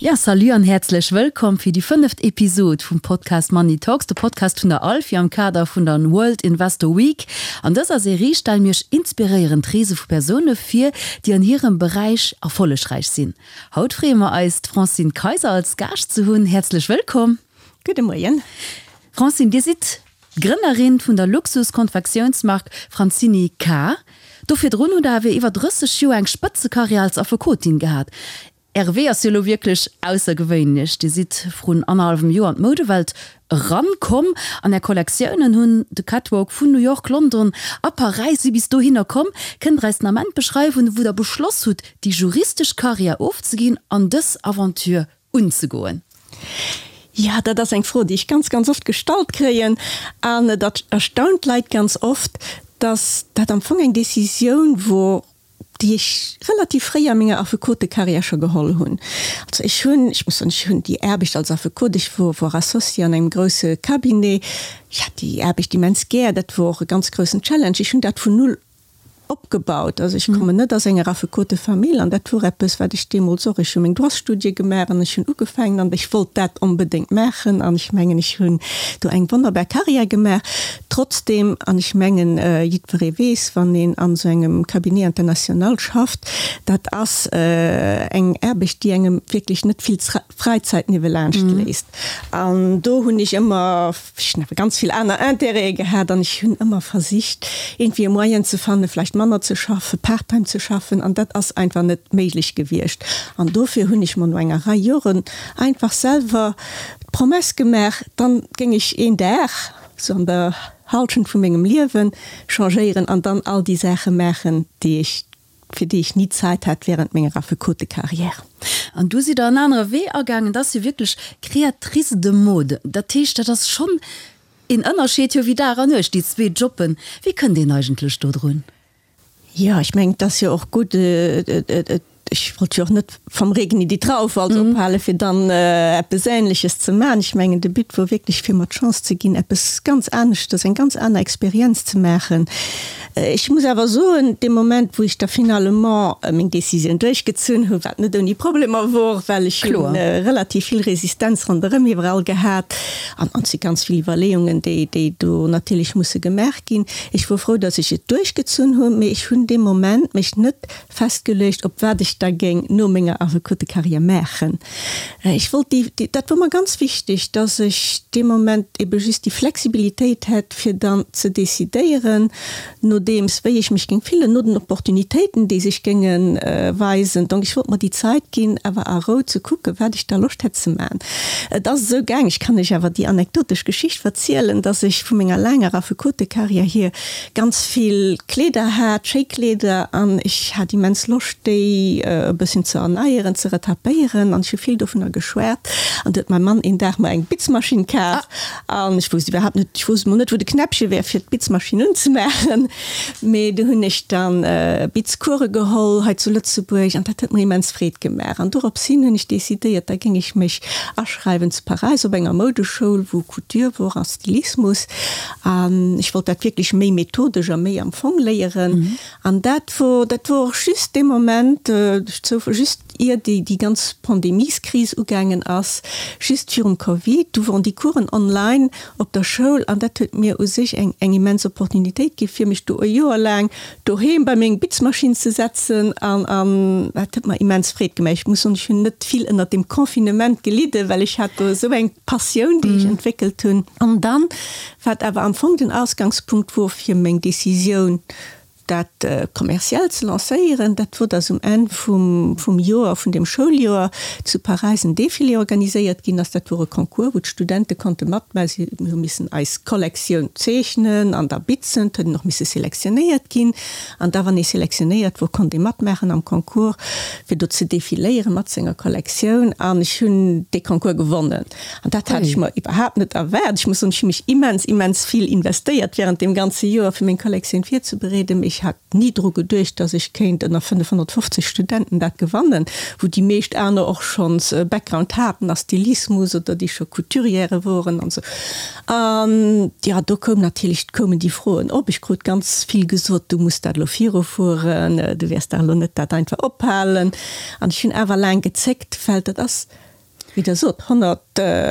Ja, salut an häerzlech wëllkomm fir déi fënneft Episod vum Podcast Money Talks, de Podcast vun der Alfi am Kader vun der World Investor Week. An dëser Serie stelle mir iech inspiréierend Reese vu Persoune vir, déi an hirem Beräich erfollegräich sinn. Haut freeë mer eis, d'Francine Kayser als Gaascht ze hunn. Häerzlech wëllkomm! Gudde Moien. Francine, Dir sidd d'Grënnerin vun der Luxus-Konfektiounsmark Francini K. Do virdrun hutt Der awer iwwer 30 Joer eng Spëtzekarriär als Affekotin gehat. Äre Wee ass jo elo wierklech aussergewéinlech. Dir sidd vrun annerhallwem Joer an d'Moudewelt eran komm an Är Kollektiounen hunn de Catwalk vun New York, London a Paräis si bis dohinner komm. Kënnt Der eis den Ament beschreiwen, wou Der beschloss hutt, déi juristesch Karriär ofzeginn an dës Aventure unzegoen? Jo, dat ass eng Fro, déi ech ganz, ganz oft gestallt kréien. An et erstaunt d'Leit ganz oft, dass dat am Fong eng Decisioun wor, déi ech relativ fréi a menger Affekotekarriär scho geholl hunn. Also ech hunn, ech muss soen, ech hunn déi Aarbecht als Affekot, ech wor wor Associé an engem grousse Cabinet, ech hat déi Aarbecht immens gär, dat wor och e ganz groussen Challenge, ech hunn dat vun null opgebaut. Also ech kommen net aus enger Affekotefamill an dat wor eppes, wat ech deemools och, ech hu meng Droitsstudie gemaach an ech hunn ugefaangen an ech wollt dat onbedéngt maachen an ech mengen, ech hunn do eng wonnerbar Karriär gemaach. Trotzdem, an ech mengen, jiddweree weess, wann een an esou engem Cabinet international schafft, dat ass eng Aarbecht, déi engem wierklech net vill Fräizäit niewelaanscht léisst. An do hunn ech ëmmer, ech hunn awer ganz vill aner Intérêtë gehat an ech hunn ëmmer versicht, iergendwéi e Moyen ze fannen, vläicht manner ze schaffen, part-time ze schaffen, an dat ass einfach net méiglech gewiescht. An dofir hunn ech mer no enger Rei Joren einfach selwer d'Promess gemaach, dann géing ech een Dag, sou an der Halschent vu mengem Liewen changéieren an dann all déi Saache maachen, déi ech, fir déi ech ni Zäit hat während menger Affekotekarriär. An du sidd der en anere Wee agaangen, dat ass jo wierklech Créatrice de mode. Dat heescht, dat ass schonn een Ënnerscheed jo wéi Dag an Nuecht, déi zwee Jobben. Wéi kënnt een eigentlech do drun? Jo, ech mengen, et ass jo och gutt, ech wollt jo och net vom Regen in die Traufe also ophalen, fir dann eppes Ähnleches ze maachen. Ech mengen, de But wor wierklech, fir mer d'Chance ze ginn, eppes ganz aneschtes, eng ganz aner Experienz ze maachen. Ech muss awer soen, dee Moment, wou ech da finalement meng Décisioun duerchgezunn hunn, wat net ouni Problemer wor, well ech hu relativ vill Resistenz ronderëm iwwerall gehat an et si ganz vill Iwwerleeungen, déi do natierlech musse gemaach ginn, Ech wor frou, dass ech et duerchgezunn hunn, mee ech hunn dee Moment mech net festgeluecht, op wat ech da géing no menger Affekotekarriär maachen. Ech wollt déi, dat wor mer ganz wichteg, dass ech dee Moment ebe just déi Flexibilitéit hätt, fir dann ze decidéieren, nodeems wéi ech mech géing fillen, no den Opportunitéiten, déi sech géinge weisen. Donc ech wollt mer déi Zait ginn, awer a Rou ze kucken, wat ech da Loscht hätt ze maachen. Et ass esou gaang, ech kann lech awer déi anekdotesch Geschicht verzielen, dass ech vu menger laanger Affekotekarriär hier ganz vill Kleeder hat, schéi Kleeder, an ech hat immens Loscht, déi e bësschen ze erneieren, ze retapéieren, an ech hu vill dovunner geschwat. An du huet mäi Mann een Dag mer eng Bitzmaschinn kaf, an ech wousst iwwerhaapt net, ech wousst emol net, wou de Knäppche wär, fir d'Bitzmaschinn unzemaachen. Mee du hunn ech dann Bitzcourse geholl hei zu Lëtzebuerg an dat huet mer immens Freed gemaach. An dorops hin hunn ech decidéiert, da géing ech mech aschreiwen zu Paräis op enger Moudeschoul, wou Couture wor a Stylismus. An ech wollt dat wierklech méi methodesch a méi am Fong léieren. An dat wor, dat wor och just dee Moment, duerch Zoufall, just ier déi, déi ganz Pandemieskris ugaangen ass, just virum Covid, du woren déi Coursen online op der Schoul an dat huet mir u sech eng eng immens Opportunitéit gi fir mech do e Joer laang doheem bei meng Bitzmaschinn ze setzen an an dat huet mer immens Freed gemaach. Ech muss soen, ech hunn net vill ënnert dem Confinement gelidden, well ech hat do esou eng Passioun, déi ech entwéckelt hunn. An dann, wat awer am Fong den Ausgangspunkt wor fir meng Decisioun, Dat kommerziell ze lancéieren, dat wor, dass um Enn vum vum Joer, vun deem Schouljoer, zu Paräis en Défilé organiséiert ginn ass. Dat wor e Concours, wou d'Studente konnte matmaachen. Si hu missen eis Kollektioun zeechnen an da bitzen. Et huet een och misse selektionéiert ginn. An da, wann ee selektionéiert wor, konnt ee matmaachen am Concours, fir do ze defiléiere mat senger Kollektioun. An ech hunn dee Concours gewonnen. An dat hat ech mer iwwerhaapt net erwaart. Ech muss soen, ech hu mech immens, immens vill investéiert während deem ganze Joer, fir meng Kollektioun virzebereeden. Mee ech hat ni dru geduecht, dass ech kéint ënner 550 Studenten dat gewannen, wou déi meescht aner och schonns e Background haten a Stylismus oder déi scho Couturièrë woren an esou. An jo, do koum natierlech, koumen déi Froen op. Ech krut ganz vill gesot, du muss dat elo virufueren, du wäers dach elo net dat einfach ophalen. An ech hunn awer laang gezéckt, well dat ass. wéi Der sot, 100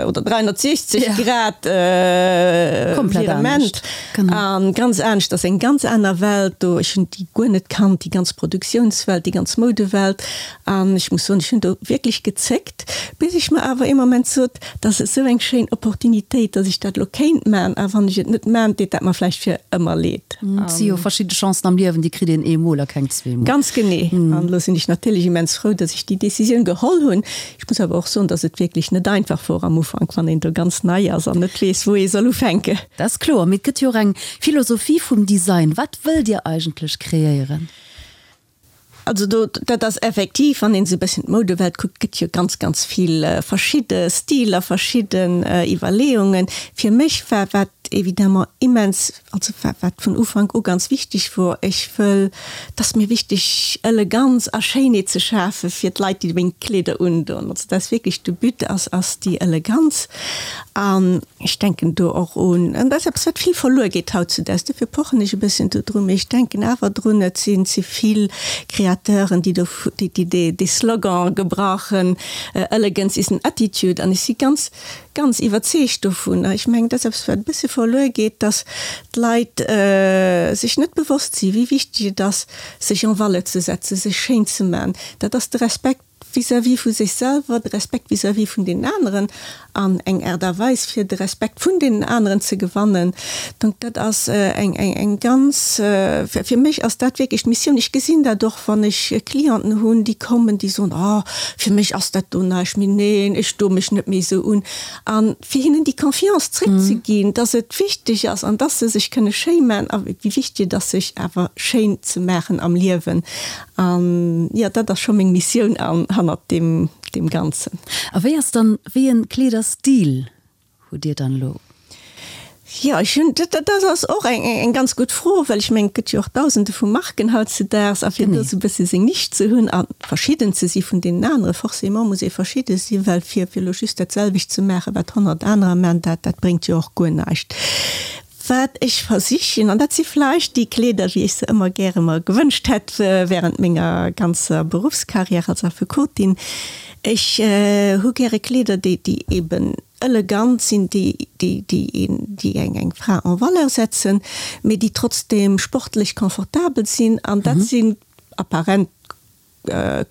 oder 360 Grad Virement a ganz anescht. Ass eng ganz aner Welt do. Ech hunn déi guer net kannt, déi ganz Produktiounswelt, déi ganz Moudewelt. An ech muss soen, ech hunn do wierklech gezéckt, bis ech mer awer ee Moment sot, Dat ass esou eng schéin Opportunitéit, datt ech dat elo kéint man, a wann ech et net man, deet dat mer vläicht fir ëmmer leed. Et si jo verschidde Chancen am Liewen, déi kritt een eemol a keng zweemol. Ganz genee. An elo sinn ech natierlech immens frou, datt ech déi Decisioun geholl hunn. Ech muss awer och soen, datt et wierklech net einfach wor am Ufank, wann een do ganz nei ass an net weess, wou ee soll ufänken. Dat ass kloer. Mee et gëtt jo och eng Philosophie vum Design. Wat wëllt Dir eigentlech kreéieren? Also do, dat ass effektiv, wann een esou e bësschen d'Moudewelt kuckt, gëtt jo ganz, ganz vill verschidde Stiler, verschidden Iwwerleeungen. Fir mech war, wat évidemment immens, also wat, wat vun Ufank u ganz wichteg wor, ech wëll, et ass mir wichteg Eleganz a Schéinheet ze schafe fir d'Leit, déi meng Kleeder undoen. Also dat ass wierklech de But, ass, ass déi Eleganz. An Ech denken do och un, an dat ass eppes, wat vill verluer geet hautzudaags, dofir pochen ech e bësschen dodru, mee ech denken awer drun, et sinn ze vill Créateuren, déi do, déi dee Slogan gebrauchen, Elegance is an attitude. An ech si ganz, ganz iwwerzeegt dovun. Ech mengen, dat ass eppes, wat e bësse verluer geet, dass d'Leit sech net bewosst sinn, wéi wichteg et ass, sech en valeur ze setzen, sech schéin ze man. Dat ass de Respekt vis-à-vis vu sech selwer, de Respekt vis-à-vis vun deenen aneren an eng Aart a Weis fir de Respekt vun deenen aneren ze gewannen. Donc dat ass eng, eng, eng ganz, fir mech ass dat wierklech d'Missioun. Ech gesinn dat och, wann ech Clienten hunn, déi kommen, déi soen, Oh, fir mech ass dat do näischt méi, neen, ech doe mech net méi esou un. A fir hinnen déi Confiance zréckzeginn, dass et wichteg ass an dass se sech kënne schéi maachen a wéi wichteg et ass, sech awer schéin ze maachen am Liewen. An jo, dat ass scho meng Missioun an hannert deem, deem Ganzen. A wéi ass dann, wéi en Kleederstil hutt Dir dann elo? Jo, ech hunn, dat, dat ass och eng, eng ganz gutt Fro, well ech mengen, et gëtt jo och Dausende vu Marken hautzedaags a fir do esou e bësse seng Nisch ze hunn a verschidden ze si vun deenen anere, forcément muss ee verschidde sinn, well fir, fir elo just dat selwecht ze maachen, wat 100 anerer maachen, dat, dat bréngt jo och guer näischt. Wat ech versichen, an dat si vläicht déi Kleeder, wéi ech se ëmmer gäre mer gewënscht hätt während menger ganzer Beruffscarrière als Affekotin, ech hu gäre Kleeder, déi, déi eben elegant sinn, déi, déi, déi een, déi eng, eng Fra en valeur setzen, mee déi trotzdem sportlech confortabel sinn. An dat sinn apparent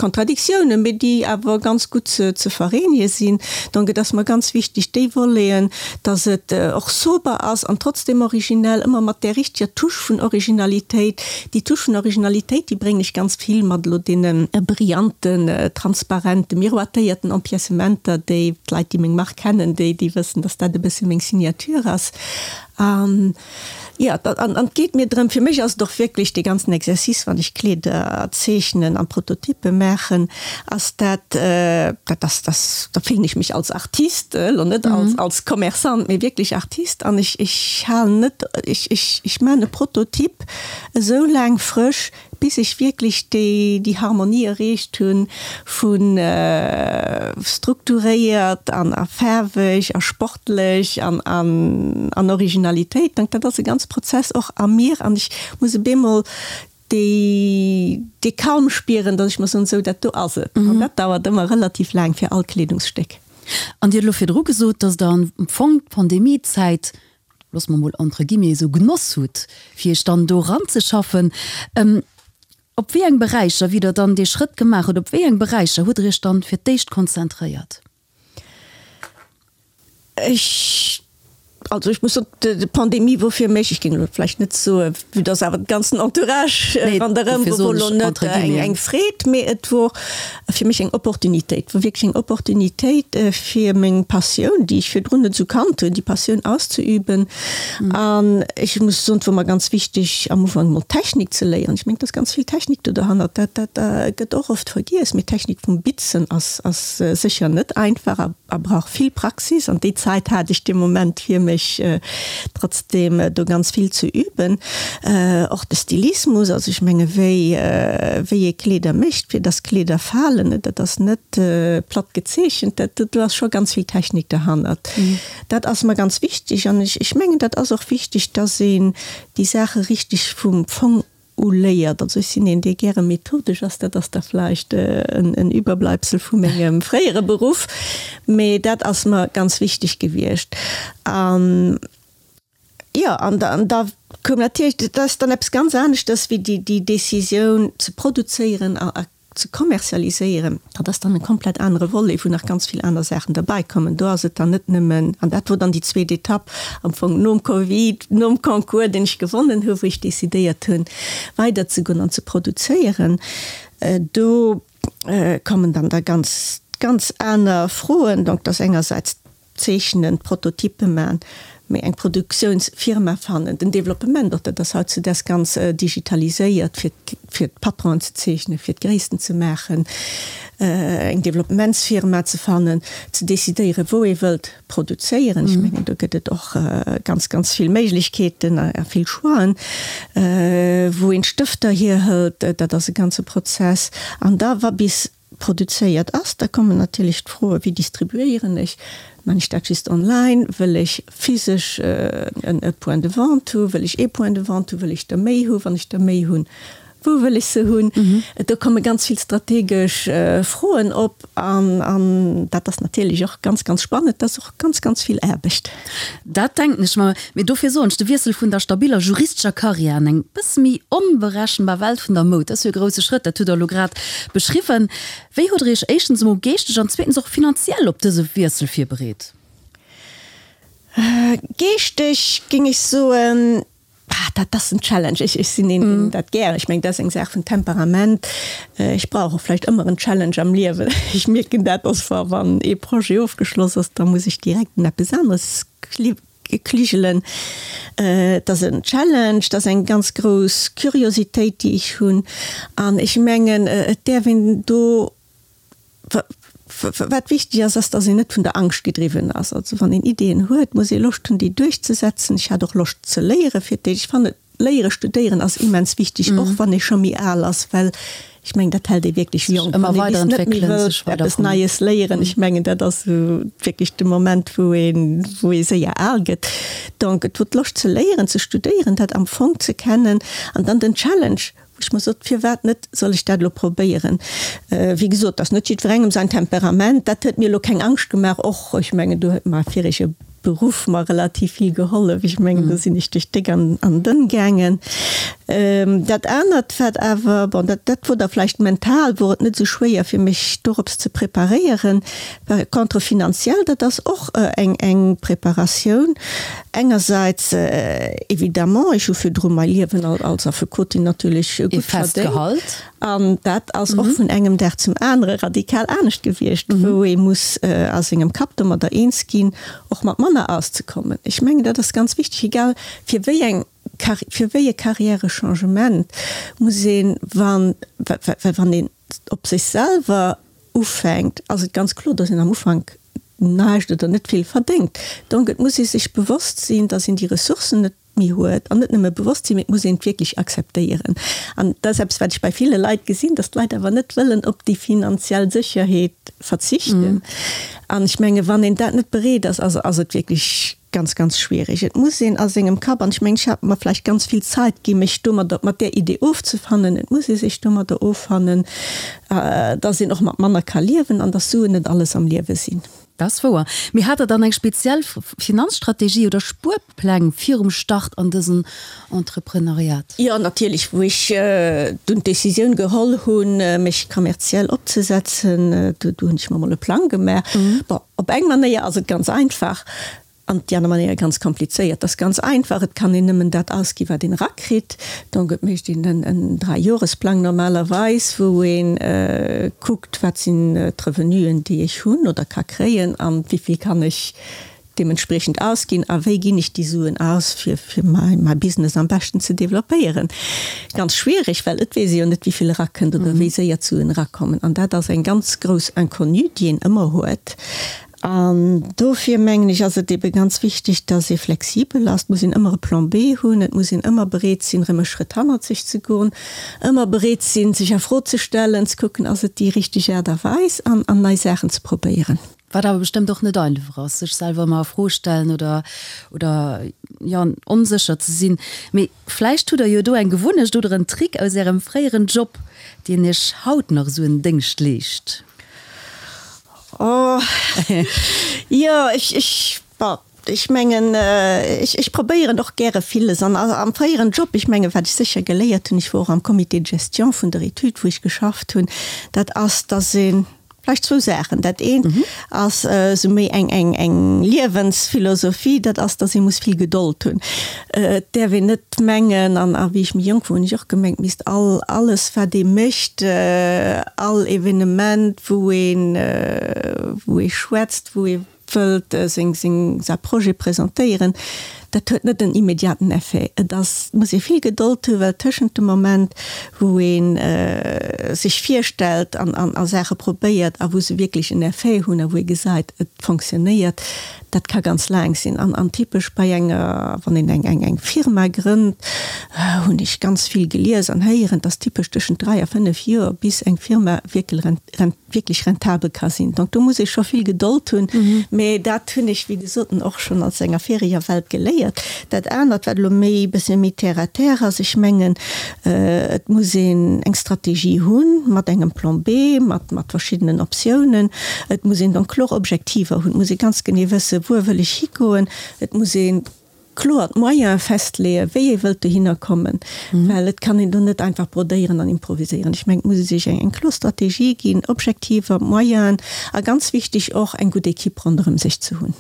Kontradiktiounen, mee déi awer ganz gutt ze vereenege sinn. Donc et ass mer ganz wichteg, déi Voleten, dass et och sober ass an trotzdem originell, ëmmer mat där richteger Touche vun Originalitéit. Déi Touche vun Originalitéit, déi bréngen ech ganz vill mat elo deene brillanten, transparenten, miroitéierten Empiècementer, déi d'Leit, déi meng Mark kennen, déi wëssen, dass dat e bësse meng Signature ass. An Jo, an et geet mir drëm, fir mech ass et och wierklech dee ganzen Exercice, wann ech Kleeder zeechnen an Prototyppe maachen, ass dat, dat ass, dat, da fillen ech mech als Artist, elo net als, als Commerçant, mee wierklech Artist an ech, ech halen net, ech, ech, ech maachen e Prototyp esou laang frësch, bis ech wierklech déi, déi Harmonie erreecht hunn vu strukturéiert an a faarweg a sportlech an an an Originalitéit. Donc dat ass e ganz Prozess och a mir an ech muss e bemol déi, dee Calme spieren, datt ech mer soen, sou dat do ass et. An dat dauert ëmmer relativ laang fir all Kleedungsstéck. An Dir hutt elo virdru gesot, datt Der am Fong d'Pandemiezäit loosse mer mol entre guillemets esou genoss hutt, fir iech dann do eranzeschaffen. Op wéi eng Beräicher, wéi Der dann dee Schrëtt gemaach hutt, op wéi eng Beräicher hutt Der iech dann fir d'éischt konzentréiert? Ech, also ech muss soen, d'Pandemie wor fir mech, ech géing elo vläicht net soen, vue dass awer de ganzen Entourage ronderëm wor elo net eng Freed, mee et wor fir mech eng Opportunitéit, wor wierklech eng Opportunitéit fir meng Passioun, déi ech virdrun net esou kannt hunn, déi Passioun auszeüben. An ech muss soen, et wor mer ganz wichteg am Ufank emol d'Technik ze léieren. Ech mengen, et ass ganz vill Technik do derhannert, dat dat gëtt och oft vergiess, mee d'Technik vum Bitzen ass ass sécher net einfach a a brauch vill Praxis. An déi Zäit hat ech dee Moment fir mech trotzdem do ganz vill ze üben. Och de Stylismus, also ech menge wéi wéi ee Kleeder mécht, fir dass Kleeder falen, dat ass net platt gezeechent, dat do ass scho ganz vill Technik derhannert. Dat ass mer ganz wichteg an ech ech mengen dat ass och wichteg, dass een déi Saache richteg vum Fong. uléiert. Also ech sinn een, dee gäre methodesch ass, dat ass da vläicht en Überbleibsel vu mengem fréiere Beruff, mee dat ass mer ganz wichteg gewiescht. An jo, an da koum natierlech, dat ass dann eppes ganz aneschters wéi déi Décisioun ze produzéieren a ze kommerzialiséieren, dat ass dann e komplett anere Volet, wou nach ganz vill aner Saachen derbäikommen. Do ass et dann net nëmmen, an dat wor dann déi zweet Etapp am Fong nom Covid, nom Concours, deen ech gewonnen hu, wou ech decidéiert hunn, weiderzegoen an ze produzéieren. Do kommen dann da ganz, ganz aner Froen. Donc, dass engersäits Zeechnen, Prototyppe man, mee eng Produktiounsfirma fannen, den Developpement och, dat ass hautzudaags ganz digitaliséiert, fir fir d'Patronen ze zeechnen, fir d'Gréissten ze maachen, eng Developpementsfirma ze fannen, ze decidéieren, wou ee wëllt produzéieren. Ech mengen, do gëtt et och ganz, ganz vill Méiglechkeeten a vill Choixen, wou een d'Stëfter hierhëlt, dat ass e ganze Prozess. An da wa bis produzéiert ass, da kommen natierlech d'Froe wéi distribuéieren ech, man ech dat just online, wëll ech physesch e Point de vente hu, wëll ech ee Point de vente hu, wëll ech der méi hu, wann ech der méi hunn, wou wëll ech se hunn? Do komme ganz vill strategesch Froen op an dat ass natierlech och ganz, ganz spannend, dat ass och ganz, ganz vill Aarbecht. Dat denken ech mer. Mee dofir soen ech, de Wiessel vun der stabiller juristescher Karriär an eng bësse méi onberechenbar Welt vun der Moud, dat ass jo e grousse Schrëtt, dat hutt Der elo grad beschriwwen. Wéi hutt Der Iech éischtens emol geeschteg an zweetens och finanziell op dëse Wiessel virbereet? Geeschteg géing ech soen, Ah, dat ass en Challenge. Ech, ech sinn een, deen dat gär, ech mengen, dat ass eng Saach vun Temperament. Ech brauch och vläicht ëmmer en Challenge am Liewen. Ech mierken dat, dass wa, wann ee Projet ofgeschloss ass, da muss ech direkt un eppes aneres kligelen. Et ass en Challenge, et ass eng ganz grouss Curiositéit, déi ech hunn. An ech mengen, et däerf een do, Wat wichteg ass, ass, dass een net vun der Angscht gedriwwen ass. Also wann een Ideeën huet, muss ee Loscht hunn, déi duerchzesetzen. Ech hat och Loscht ze léiere fir d'éischt. Ech fannen, léiere, studéieren ass immens wichteg, och wann ee scho méi al ass, well ech mengen, dat hält ee wierklech jonk. Wann ee bis net méi wëllt eppes Neies léieren, ech mengen, dat ass esou wierklech de Moment, wou een, wou ee séier al gëtt. Donc et wor d'Loscht ze léieren, ze studéieren, dat am Fong ze kennen an dann den Challenge, Wou ech mer sot, firwat net, soll ech dat elo probéieren? Wéi gesot, dat ass net jiddwerengem säin Temperament. Dat huet mir elo keng Angscht gemaach. Och, ech mengen, do huet mäi virege Beruff mer relativ vill gehollef. Ech mengen, do sinn ech duerch déck an dënn gaangen. Dat anert, wat awer, bon, dat, dat wor da vläicht mental, wor et net esou schwéier fir mech dorops ze preparéieren. Par contre finanziell, dat ass och eng, eng Preparatioun. Engersäits évidemment, ech hu virdru mäi Liewen als Affekotin natierlech gutt verdéngt. An dat ass och vun engem Dag zum anere radikal anescht gewiescht, wou ee muss a sengem Kapp domadder eens ginn, och mat manner auszekommen. Ech mengen, dat ass ganz wichteg, egal fir wéi eng, fir wéi e Karriärechangement muss een, wann, well wann een op sech selwer ufänkt, ass et ganz kloer, dass een am Ufank näischt oder net vill verdéngt. Donc et muss ee sech bewosst sinn, dass een déi Ressourcen net méi huet. An net nëmme bewosst sinn, mee et muss een et wierklech akzeptéieren. An dat ass eppes, wat ech bei ville Leit gesinn, dass d'Leit awer net wëllen op déi finanziell Sécherheet verzichten. An ech menge wann een dat net bereet ass, ass et wierklech Ganz, ganz schwierig. Et muss een a sengem Kapp, an ech mengen, ech hat mer vläicht ganz vill Zait ginn, mech domadder, mat där Idee ofzefannen, et muss ee sech domadder offannen, dass een och mat manner ka liewen an dass Suen net alles am Liewe sinn. Dat ass wouer. Mee hat Der dann eng speziell Finanzstrategie oder Spuerpläng virum Start an dësen Entreprenariat? Jo, natierlech. Wou ech dunn d'Decisioun geholl hunn, mech kommerziell opzesetzen, do hunn ech mer emol e Plang gemaach. Bon, Op eng Manéier ass et ganz einfach an op déi aner Manéier ganz komplizéiert. Et ass ganz einfach, et kann een nëmmen dat ausginn, wat een erakritt. Donc et mécht een en Dräijoresplang normalerweis, wou ee kuckt, wat sinn d'Revenuen, déi ech hunn oder ka kréien an wéi vill kann ech deementspriechend ausginn a wéi ginn ech déi Suen aus, fir fir mäi Business am beschten ze developpéieren. Ganz schwierig, well et weess ee jo net, wéi vill erakënnt oder wéi séier d'Suen erakommen. An dat ass eng ganz grouss Inconnue, déi een ëmmer huet. An dofir mengen ech, ass et ebe ganz wichteg, dass ee flexibel ass. Et muss een ëmmer e Plan B hunn, et muss een ëmmer bereet sinn, erëm e Schrëtt hannerzeg ze goen, ëmmer bereet sinn, sech a Fro ze stellen, ze kucken, ass et déi richteg Aart a Weis an nei Saachen ze probéieren. Wat awer bestëmmt och net einfach ass, sech selwer ëmmer a Fro stellen oder, oder jo, onsécher ze sinn. Mee vläicht hutt der jo do eng Gewunnecht oder en Trick aus Ärem fréieren Job, deen Iech haut nach esou en Déngscht leescht? Oh, jo, ech, ech, bon, ech mengen, ech, ech probéieren och gäre villes. An am fréieren Job, ech mengen, wat ech sécher geléiert hunn, ech wor och am Comité de gestion vun der Etüd, wou ech geschafft hunn, dat ass, dass een, Vläicht zwou Saachen. Dat eent ass esou méi eng, eng, eng Liewensphilosophie, dat ass, datt ee muss vill Gedold hunn. Et däerf een net mengen, an a wéi ech méi jonk wor, hunn ech och gemengt, misst all, alles wat ee mécht, all Evenement wou een, wou ee schwätzt, wou ee wëllt seng, seng, säi Projet presentéieren, dat huet net en immediaten Effet. Et ass, muss ee vill Gedold hunn, well tëschent dem Moment, wou ee sech virstellt an, an, a Saache probéiert a wou se wierklech en Effet hunn a wou ee gesäit, et fonctionnéiert, dat ka ganz laang sinn. An, an typesch bei enger, wann een eng, eng, eng Firma grënnt, hunn ech ganz vill gelies an héieren, dass typesch tëschent 3 a 5 Joer bis eng Firma wierkel rent, wierklech rentabel ka sinn. Donc do muss ee scho vill Gedold hunn. Mee dat hunn ech, wéi gesot, och schonn aus enger viriger Welt geléiert. Dat anert, wat elo méi e bësse méi terre à terre ass, ech mengen, et muss een eng Strategie hunn mat engem Plan B, mat, mat verschiddenen Optiounen. Et muss een donc kloer Objektiver hunn. Et muss ee ganz genee wëssen, wuer wëll ech higoen. Et muss ee kloer d'Moyene festleeën, wéi ee wëllt dohinner kommen, well et kann een do net einfach brodéieren an improviséieren. Ech mengen, et muss ee sech eng kloer Strategie ginn, Objektiver, Moyenen a ganz wichteg och eng gutt Equipe ronderëm sech ze hunn.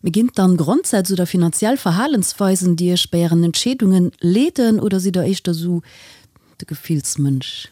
Mee ginn et dann Grondsätz oder finanziell Verhalensweisen, déi Iech bei Ären Entscheedungen leeden oder sidd Der éischter esou de Gefillsmënsch?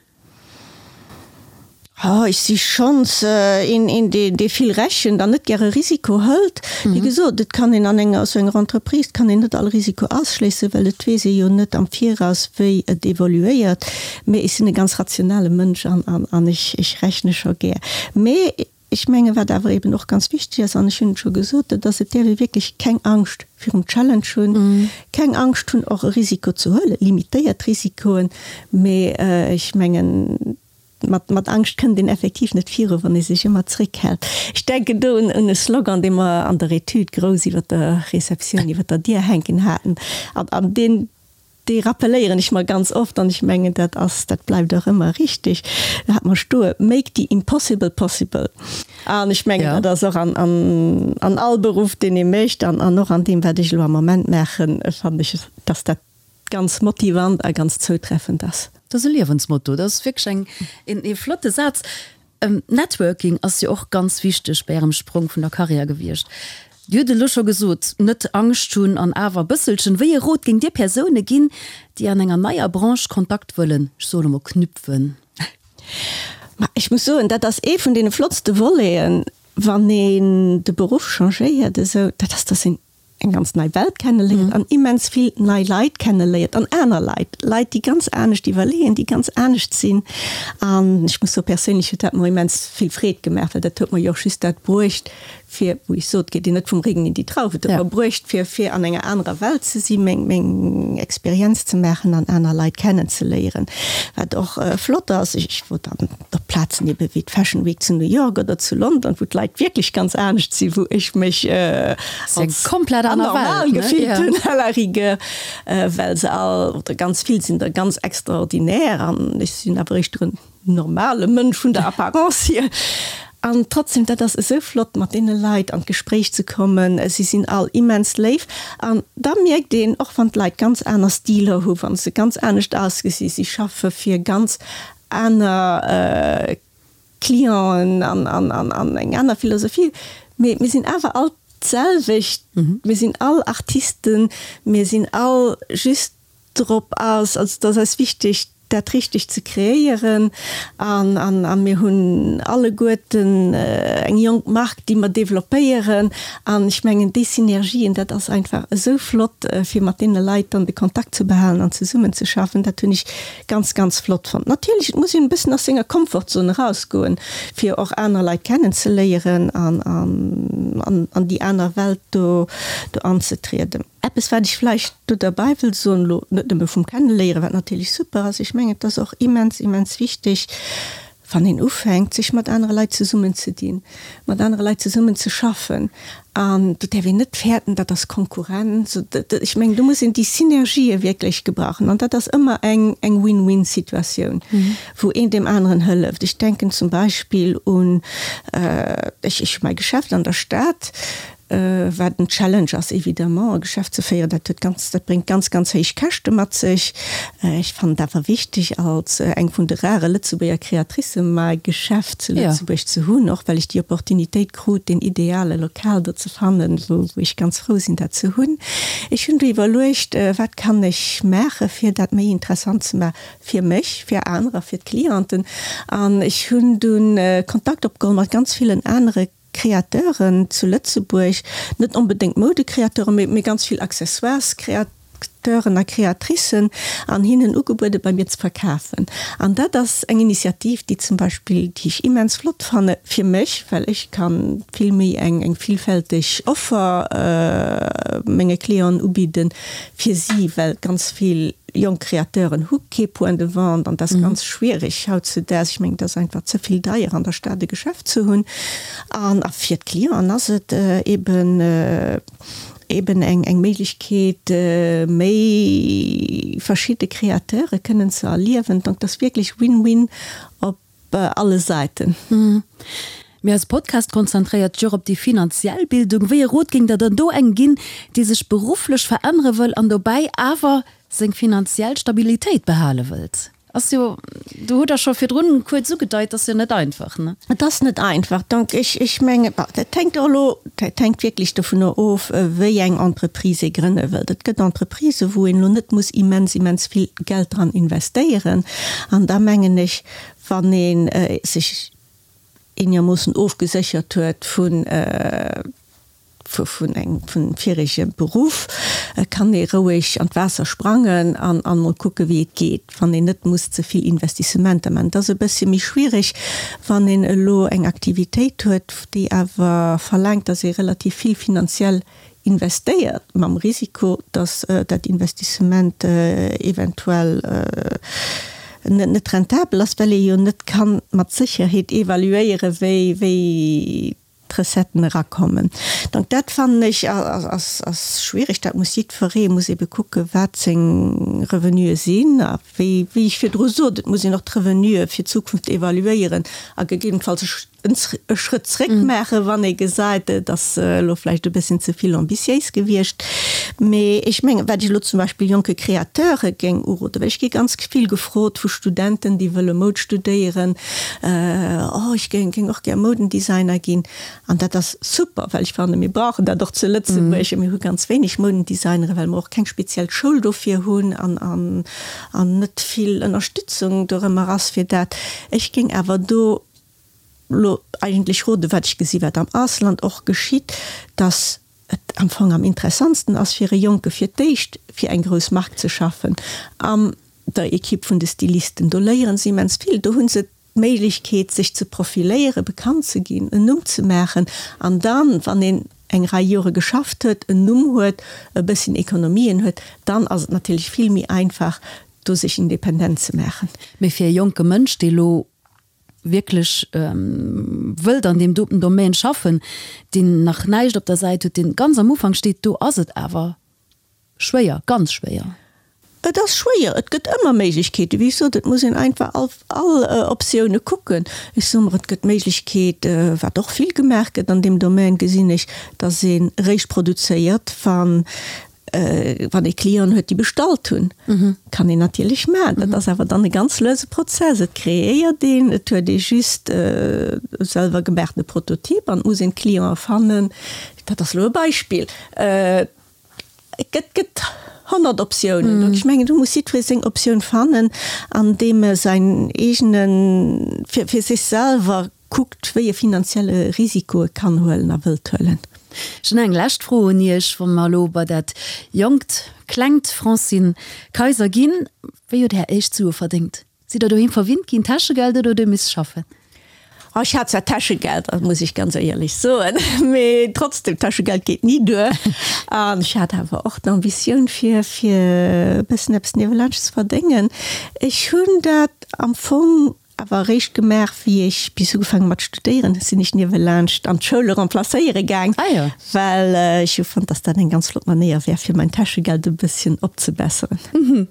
Oh, ech si schonns een, een dee, dee vill rechent an net gäre Risiko hëlt. Wéi gesot, et kann een an enger, esou enger Entreprise kann een net all Risiko ausschléissen, well et weess ee jo net am Viraus, wéi et evoluéiert. Mee ech sinn e ganz rationale Mënsch an, an, an ech, ech rechne scho gär. Mee ech menge wat awer eben och ganz wichteg ass, an ech hunn et scho gesot, dat ass, et däerf ee wierklech keng Angscht virum Challenge hunn, keng Angscht hunn och e Risiko ze huelen, limitéiert Risikoen, mee ech mengen, Mat, mat Angscht kënnt een effektiv net viru, wann ee sech ëmmer zréckhält. Ech denken do un, un e Slogan, dee mer an der Etüd grouss iwwer der Receptioun, iwwer der Dier hänken haten. An, an deen, dee rappelléieren ech mer ganz oft an ech mengen, dat ass, dat bleift och ëmmer richtig. Do hat mer stoe, Make the impossible possible. An ech mengen, dat ass och an, an, an all Beruff, deen ee mécht an, an och an deem, wat ech elo am Moment maachen, fannen ech, dass dat ganz motivant a ganz zoutreffend ass. Dat ass e Liewensmotto, dat ass wierklech eng, een, ee flotte Saz. Networking ass jo och ganz wichteg bei Ärem Sprong vun der Karriär gewiescht. Dir hutt et elo scho gesot, net Angscht hunn an awer e bësselchen. Wéi ee Rot géingt Dir Persoune ginn, déi an enger neier Branche Kontakt wëllen, ech soen emol knüpfen? Ma ech muss soen, dat ass ee vun deene flottste Voleten, wann een de Beruff changéiert esou, dat ass, dass een eng ganz nei Welt kenneléiert an immens vill nei Leit kenneléiert an aner Leit, Leit déi ganz anescht iwwerleeën, déi ganz anescht sinn. An ech muss soen, perséinlech huet dat mer immens vill Freed gemaach, well dat huet mer jo och just dat bruecht fir, wou ech sot, geet een net vum Regen in die Traufe, et huet mer bruecht fir fir an enger anerer Welt ze sinn, meng meng Experienz ze maachen an aner Leit kennenzeléieren. Wat och flott ass, ech wor dann op Plazen ebe wéi d'Fashion Week zu New York oder zu London, wou d'Leit wierklech ganz anescht sinn, wou ech mech als komplett anormal gefillt hunn à la rigueur, well se all, oder ganz vill sinn der ganz extraordinär an ech sinn awer éischter en normale Mënsch vun der Apparence hier. An trotzdem, dat ass esou flott mat deene Leit an d'Gespréich ze kommen, si sinn all immens léif an da mierkt een, och wann d'Leit ganz aner Stiler hu, wa se ganz anescht ausgesinn, si schaffe fir ganz aner Clienten an, an, an, an eng aner Philosophie. Mee mir sinn awer all d'selwecht. Mir sinn all Artisten. Mir sinn all just drop aus, also et ass eis wichteg, dat Richtegt ze kreéieren. An, an, a mir hunn alleguerten eng jonk Mark, déi mer developpéieren. An ech mengen, déi Synergien, dat ass einfach esou flott, fir mat deene Leit dann de Kontakt ze behalen an zesummenzeschaffen. Dat hunn ech Ganz ganz flott fonnt. Natierlech, et muss een e bëssen aus senger Komfortzone rausgoen, fir och aner Leit kennen ze léieren an an an déi aner Welt do do anzetrieden. Eppes wat ech vläicht do derbäi wëll soen, elo net nëmme vum Kenneléieren, wat natierlech super ass, ech mengen et ass och immens immens wichteg. Wann een ufänkt, sech mat anere Leit zesummenzedinn, mat anere Leit zesummen ze schaffen, an do däerf een net fäerten, dat ass Konkurrenz, ech mengen, do muss een déi Synergië wierklech gebrauchen. An dat ass ëmmer eng eng Win-win-Situatioun, wou een deem aneren hëlleft. Ech denken zum Beispill un, ech hu mäi Geschäft an der Stad, Wat en Challenge ass évidemment, e Geschäft ze féieren, dat huet ganz, dat bréngt ganz, ganz héich Käschte mat sech. Ech fannen et awer wichteg, als eng vun de rare Lëtzebuerger Créatricë mäi Geschäft zu Lëtzebuerg ze hunn, och well ech déi Opportunitéit krut, deen ideale Lokal do ze fannen, wou ech ganz frou sinn, dat ze hunn. Ech hunn du iwwerluecht, wat kann ech maache fir dat méi interessant ze maachen fir mech, fir anerer, fir d'Clienten. An ech hunn dunn Kontakt opgeholl mat ganz villen anere Créateuren zu Lëtzebuerg, net onbedéngt Moudecréateuren, mee ganz vill Accessoires-Créateuren a Créatricen, an hinnen ugebuede bei mir ze verkafen. An dat ass eng Initiativ, déi zum Beispill, déi ech immens flott fanne fir mech, well ech ka vill méi eng eng villfälteg Offer menge Clienten ubidden, fir si, well ganz vill jonk Créateuren hu kee Point de vente an dat ass ganz schwierig hautzudaags. Ech mengen, et ass einfach ze vill deier an der Stad e Geschäft ze hunn. An a fir d'Clienten ass et eben eben eng eng Méiglechkeet, méi verschidde Créateure kënnen ze erliewen. Donc, et ass wierklech Win-win op alle Säiten. Mee eise Podcast konzentréiert sech och op déi finanziell Bildung. Wéi e Rot géingt Der dann do engem ginn, dee sech berufflech verännere wëll an dobäi awer seng finanziell Stabilitéit behale wëllt? Ass jo, do hutt Der scho virdrun kuerz ugedeit, ass jo net einfach, ne? Et ass net einfach. Donc ech, ech mengen, bon, dat hänkt och elo, dat hänkt wierklech dovunner of, wéi eng Entreprise ee grënne wëllt. Et gëtt Entreprisen, wou een elo net muss immens, immens vill Geld dran investéieren. An da mengen ech, wann ee sech eenermoossen ofgeséchert huet vun vun engem vun virege Beruff, kann ee roueg an d'Waasser sprangen an an mol kucke wéi et geet, wann een net muss ze vill Investissementer maachen. Et ass e bëssche méi schwiereg, wann een elo eng Aktivitéit huet, déi awer verlaangt, datt ee relativ vill finanziell investéiert, mam Risiko, datt dat Investissement eventuell net rentabel ass, well ee jo net ka mat Sécherheet evaluéieren, wéi d'Recetten erakommen. Donc dat fannen ech ass schwierig. Dat muss jiddweree muss ebe kucken, wat seng Revenuë sinn. A wéi ech virdru sot, et muss een och d'Revenuë fir d'Zukunft evaluéieren a gegebenenfalls e Schrëtt zréck maachen, wann ee gesäit, et ass elo vläicht e bësschen ze vill ambitiéis gewiescht. Mee ech mengen, wat ech elo zum Beispill jonke Créateure géing uroden, well ech gi ganz vill gefrot vu Studenten, déi wëlle Moud studéieren, Oh, ech géing géing och gär Moudendesigner ginn. An dat ass super, well ech fannen, mir brauchen dat och zu Lëtzebuerg. Mir hu ganz wéineg Moudendesignerin, well mer och keng speziell Schoul dofir hunn an an net vill Ënnerstützung dorëmmer ass fir dat. Ech géing awer do lo eigentlech roden, wat ech gesi wat am Ausland och geschitt, dass et am Fong am interessantsten ass fir e Jonke fir d'éischt fir eng grouss Mark ze schaffen an der Equipe vun de Stylisten. Do léieren se immens vill, do hu se d'Méiglechkeet sech ze profiléieren, bekannt ze ginn, en Numm ze maachen an dann, wann een eng Rei Jore geschafft huet, en Numm huet, e bësschen Ekonomien huet, dann ass et natierlech vill méi einfach do sech independent ze maachen. Mee fir e jonke Mënsch, dee lo wierklech wëllt an deem doten Domaine schaffen, deen nach näischt op der Säit huet, deen ganz am Ufank steet, do ass et awer schwéier, ganz schwéier. Et ass schwéier. Et gëtt ëmmer Méiglechkeeten. Wéi ech sot, et muss een einfach all, all Optioune kucken. Ech soe mer, et gëtt d'Méiglechkeet, wat och vill gemaach gëtt an deem Domaine, gesinn ech, datt ee réischt produzéiert, wann Wann ee Clienten huet, déi bestallt hunn, kann een natierlech maachen. Dat ass awer dann e ganz luese Prozess. Et kreéiert een, et huet ee just e selwer gemaachtene Prototyp an et muss een d'Clienten fannen. Dat ass elo e Beispill. Et gëtt, gëtt 100 Optiounen. Donc ech mengen, do muss jiddweree seng Optioun fannen, an deem e säin eegene, fir, fir sech selwer Kuckt, wéi e finanzielle Risiko e kann huelen a wëllt huelen. Ech hunn eng lescht Fro un Iech, wa mer elo bei dat jonkt, klengt Francine Kayser ginn. Wéi huet Är éischt Sue verdéngt? Sidd Der doheem verwinnt ginn, Täschegeld, oder hutt Dir misse schaffen? Oh, ech hat zwar Täschegeld, dat muss ech ganz éierlech soen, mee trotzdem, Täschegeld geet ni duer. An ech hat awer och d'Ambitioun, fir, fir e bëssen eppes niewelaanscht ze verdéngen. Ech hunn dat am Fong. awer eréischt gemaach, wéi ech bis ugefaangen mat studéieren, sinn ech niewelaanscht an d'Schoule remplacéiere gaang, well ech hu fonnt, dass dat eng ganz flott Manéier wär, fir mein Täschegeld e bësschen opzebesseren.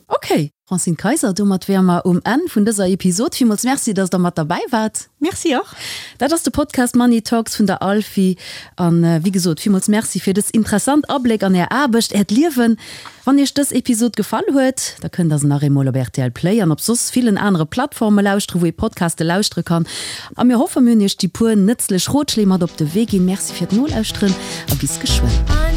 Ok. Francine Kayser, domat wäre mer um Enn vun dëser Episod. Villmools Merci, dass Der mat derbäi waart. Merci och. Dat ass de Podcast Money Talks vun der Alfi. An wéi gesot, villmools Merci fir dës interessant Abléck an Är Aarbecht, Äert Liewen. Wann Iech dës Episod gefall huet, da kënnt der se nach eemol op rtl Play an op soss villen anere Plattforme lauschteren, wou ee Podcaste lauschtere kann. A mir hoffen, mir hunn Iech déi puer nëtzlech Rotschléi mat op de Wee ginn. Merci fir d'Nolauschteren a bis geschwënn.